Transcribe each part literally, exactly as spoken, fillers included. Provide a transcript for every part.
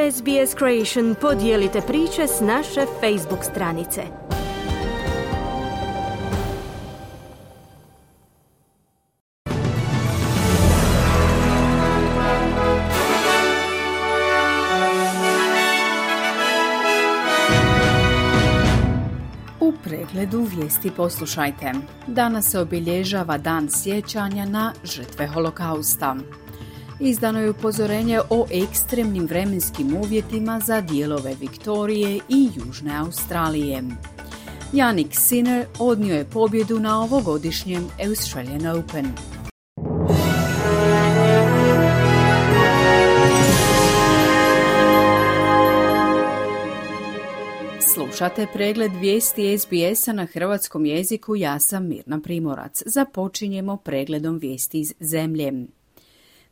S B S Creation podijelite priče s naše Facebook stranice. U pregledu vijesti poslušajte. Danas se obilježava Dan sjećanja na žrtve Holokausta. Izdano je upozorenje o ekstremnim vremenskim uvjetima za dijelove Viktorije i Južne Australije. Jannik Sinner odnio je pobjedu na ovogodišnjem Australian Open. Slušate pregled vijesti S B S-a na hrvatskom jeziku, ja sam Mirna Primorac. Započinjemo pregledom vijesti iz zemlje.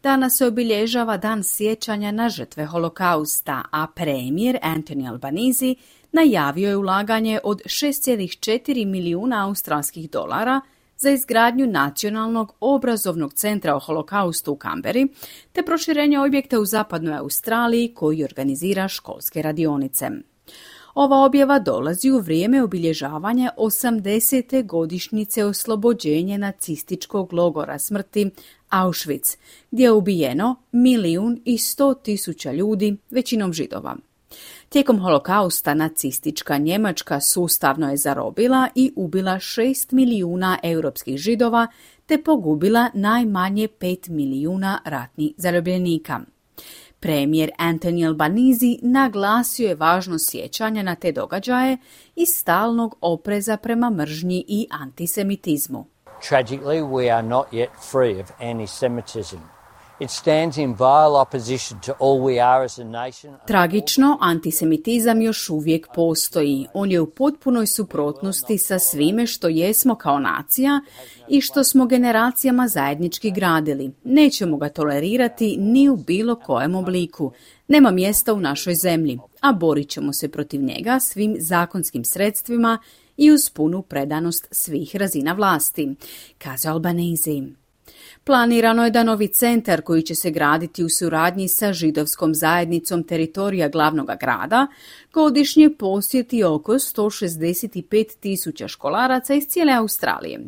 Danas se obilježava Dan sjećanja na žrtve Holokausta, a premijer Anthony Albanese najavio je ulaganje od šest zarez četiri milijuna australskih dolara za izgradnju nacionalnog obrazovnog centra o Holokaustu u Kamberi, te proširenje objekta u zapadnoj Australiji koji organizira školske radionice. Ova objava dolazi u vrijeme obilježavanja osamdesete godišnjice oslobođenja nacističkog logora smrti Auschwitz, gdje je ubijeno milijun i sto tisuća ljudi, većinom Židova. Tijekom Holokausta nacistička Njemačka sustavno je zarobila i ubila šest milijuna europskih Židova, te pogubila najmanje pet milijuna ratnih zarobljenika. Premijer Anthony Albanese naglasio je važnost sjećanja na te događaje i stalnog opreza prema mržnji i antisemitizmu. Tragically, we are not yet free of anti-Semitism. It stands in vile opposition to all we are as a nation. Tragično, antisemitizam još uvijek postoji. On je u potpunoj suprotnosti sa svime što jesmo kao nacija i što smo generacijama zajednički gradili. Nećemo ga tolerirati ni u bilo kojem obliku. Nema mjesta u našoj zemlji, a borit ćemo se protiv njega svim zakonskim sredstvima i uz punu predanost svih razina vlasti, kazao Albanese. Planirano je da novi centar koji će se graditi u suradnji sa židovskom zajednicom teritorija glavnog grada godišnje posjeti oko sto šezdeset pet tisuća školaraca iz cijele Australije.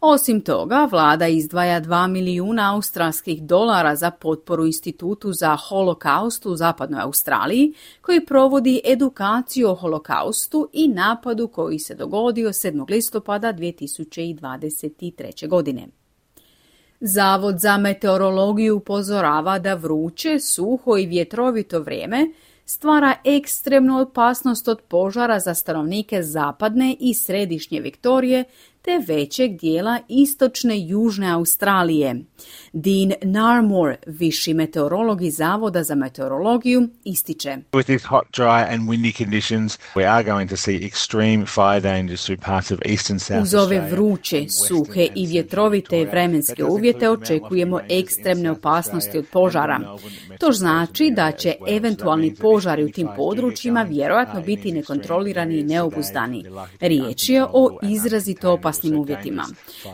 Osim toga, vlada izdvaja dva milijuna australskih dolara za potporu Institutu za holokaust u zapadnoj Australiji, koji provodi edukaciju o holokaustu i napadu koji se dogodio sedmog listopada dvije tisuće dvadeset treće. godine. Zavod za meteorologiju upozorava da vruće, suho i vjetrovito vrijeme stvara ekstremnu opasnost od požara za stanovnike zapadne i središnje Viktorije te većeg dijela istočne Južne Australije. Dean Narmore, viši meteorolog iz Zavoda za meteorologiju, ističe: With these hot, dry and windy conditions, we are going to see extreme fire dangers through parts of eastern South Uz ove Australia. vruće, suhe i vjetrovite vremenske uvjete očekujemo ekstremne opasnosti od požara. To znači da će eventualni požari u tim područjima vjerojatno biti nekontrolirani i neobuzdani. Riječ je o izrazito opasnim uvjetima.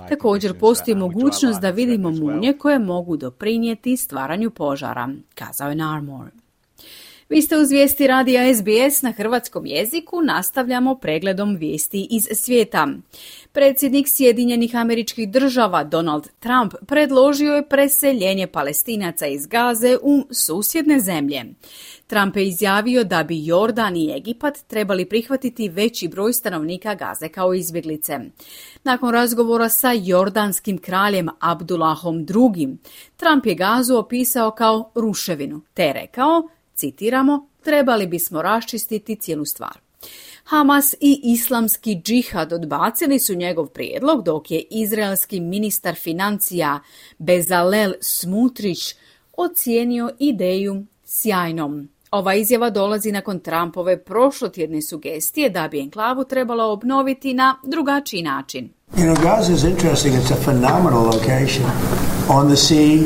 Također postoji mogućnost da vidimo munje koje mogu doprinijeti stvaranju požara, kazao je Narmore. Vi ste uz vijesti radija S B S na hrvatskom jeziku, nastavljamo pregledom vijesti iz svijeta. Predsjednik Sjedinjenih Američkih Država Donald Trump predložio je preseljenje Palestinaca iz Gaze u susjedne zemlje. Trump je izjavio da bi Jordan i Egipat trebali prihvatiti veći broj stanovnika Gaze kao izbjeglice. Nakon razgovora sa jordanskim kraljem Abdullahom drugim, Trump je Gazu opisao kao ruševinu, te rekao, citiramo, trebali bismo raščistiti cijelu stvar. Hamas i islamski džihad odbacili su njegov prijedlog, dok je izraelski ministar financija Bezalel Smotrich ocijenio ideju sjajnom. Ova izjava dolazi nakon Trumpove prošlotjedne sugestije da bi enklavu trebalo obnoviti na drugačiji način. You know, Gaza is interesting. It's a phenomenal location on the sea.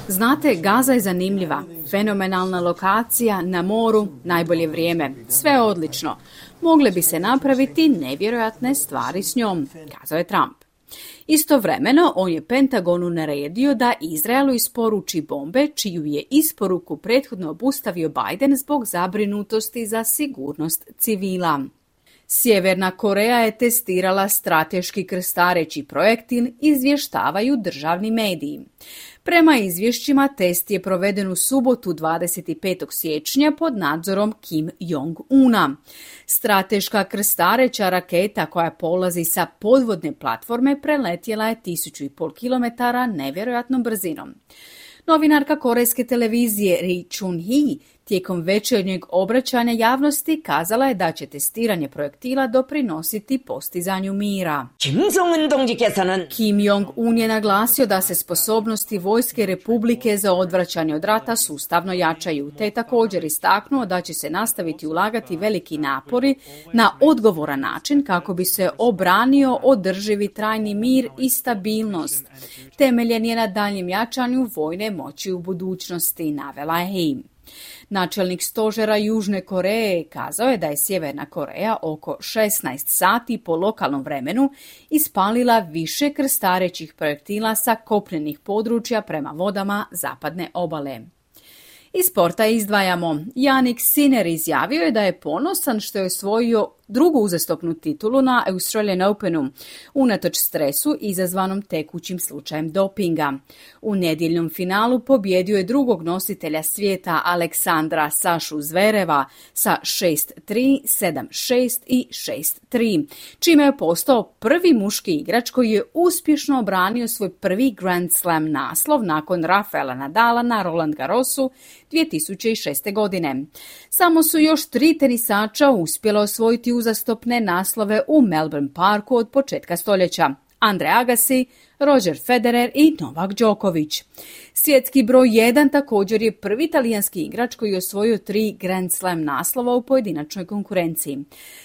Znate, Gaza je zanimljiva, fenomenalna lokacija, na moru, najbolje vrijeme, sve odlično. Mogle bi se napraviti nevjerojatne stvari s njom, kazao je Trump. Istovremeno, on je Pentagonu naredio da Izraelu isporuči bombe, čiju je isporuku prethodno obustavio Biden zbog zabrinutosti za sigurnost civila. Sjeverna Koreja je testirala strateški krstareći projektil, izvještavaju državni mediji. Prema izvješćima, test je proveden u subotu dvadeset petog siječnja pod nadzorom Kim Jong-una. Strateška krstareća raketa koja polazi sa podvodne platforme preletjela je tisuću i pol kilometara nevjerojatnom brzinom. Novinarka korejske televizije Ri Chun-hee tijekom večernjeg obraćanja javnosti kazala je da će testiranje projektila doprinositi postizanju mira. Kim Jong-un je naglasio da se sposobnosti Vojske Republike za odvraćanje od rata sustavno jačaju, te je također istaknuo da će se nastaviti ulagati veliki napori na odgovoran način kako bi se obranio održivi trajni mir i stabilnost. Temeljen je na daljnjem jačanju vojne moći u budućnosti, navela je. Načelnik stožera Južne Koreje kazao je da je Sjeverna Koreja oko šesnaest sati po lokalnom vremenu ispalila više krstarećih projektila sa kopnenih područja prema vodama zapadne obale. Iz sporta izdvajamo. Jannik Sinner izjavio je da je ponosan što je osvojio drugu uzastopnu titulu na Australian Openu, unatoč stresu izazvanom tekućim slučajem dopinga. U nedjeljnom finalu pobjedio je drugog nositelja svijeta Aleksandra Sašu Zvereva sa šest tri, sedam šest i šest tri, čime je postao prvi muški igrač koji je uspješno obranio svoj prvi Grand Slam naslov nakon Rafaela Nadala na Roland Garrosu dvije tisuće šeste. godine. Samo su još tri tenisača uspjela osvojiti uzastopne naslove u Melbourne Parku od početka stoljeća. Andre Agassi, Roger Federer i Novak Đoković. Svjetski broj jedan također je prvi talijanski igrač koji je osvojio tri Grand Slam naslova u pojedinačnoj konkurenciji.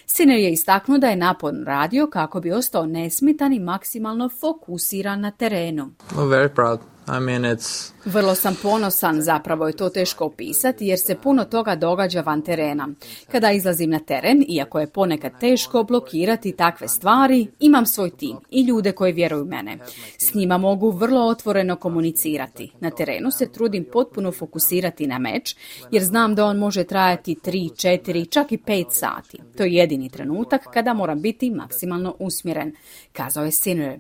Sinner je istaknuo da je naporno radio kako bi ostao nesmetan i maksimalno fokusiran na terenu. I'm very proud. I mean, it's... Vrlo sam ponosan, zapravo je to teško opisati jer se puno toga događa van terena. Kada izlazim na teren, iako je ponekad teško blokirati takve stvari, imam svoj tim i ljude koji vjeruju u mene. S njima mogu vrlo otvoreno komunicirati. Na terenu se trudim potpuno fokusirati na meč jer znam da on može trajati tri, četiri, čak i pet sati. To je jedini trenutak kada moram biti maksimalno usmjeren, kazao je Sinner.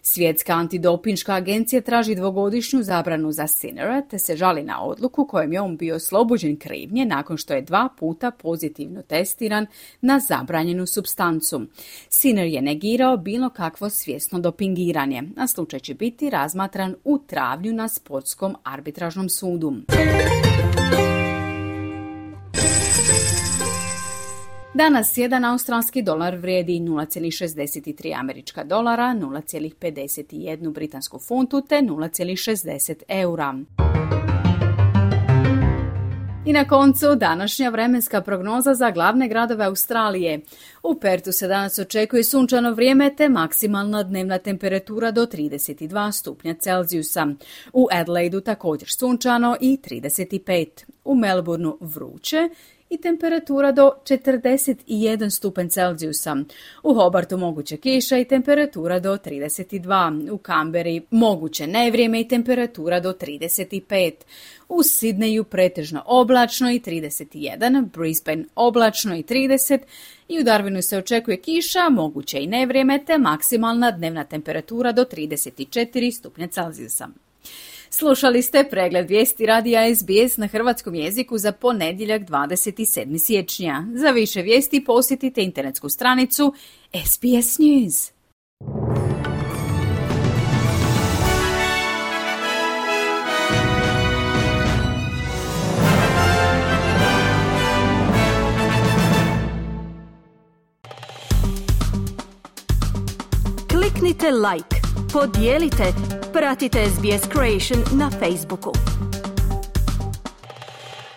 Svjetska antidopinška agencija traži dvogodišnju zabranu za Sinnera te se žali na odluku kojom je on bio oslobođen krivnje nakon što je dva puta pozitivno testiran na zabranjenu supstancu. Sinner je negirao bilo kakvo svjesno dopingiranje, a slučaj će biti razmatran u travnju na sportskom arbitražnom sudu. Danas jedan australski dolar vrijedi nula zarez šezdeset tri američka dolara, nula zarez pedeset jedan britansku funtu te nula zarez šezdeset eura. I na koncu današnja vremenska prognoza za glavne gradove Australije. U Pertu se danas očekuje sunčano vrijeme te maksimalna dnevna temperatura do trideset dva stupnja Celzijusa. U Adelaidu također sunčano i trideset pet. U Melbourneu vruće i temperatura do četrdeset jedan stupanj Celzijusa. U Hobartu moguće kiša i temperatura do trideset dva. U Kamberi moguće nevrijeme i temperatura do trideset pet. U Sidneju pretežno oblačno i trideset jedan, Brisbane oblačno i trideset i u Darwinu se očekuje kiša, moguće i nevrijeme te maksimalna dnevna temperatura do trideset četiri stupnja Celzijusa. Slušali ste pregled vijesti radija S B S na hrvatskom jeziku za ponedjeljak dvadeset sedmog siječnja. Za više vijesti posjetite internetsku stranicu S B S News. Kliknite like, podijelite, pratite S B S Creation na Facebooku.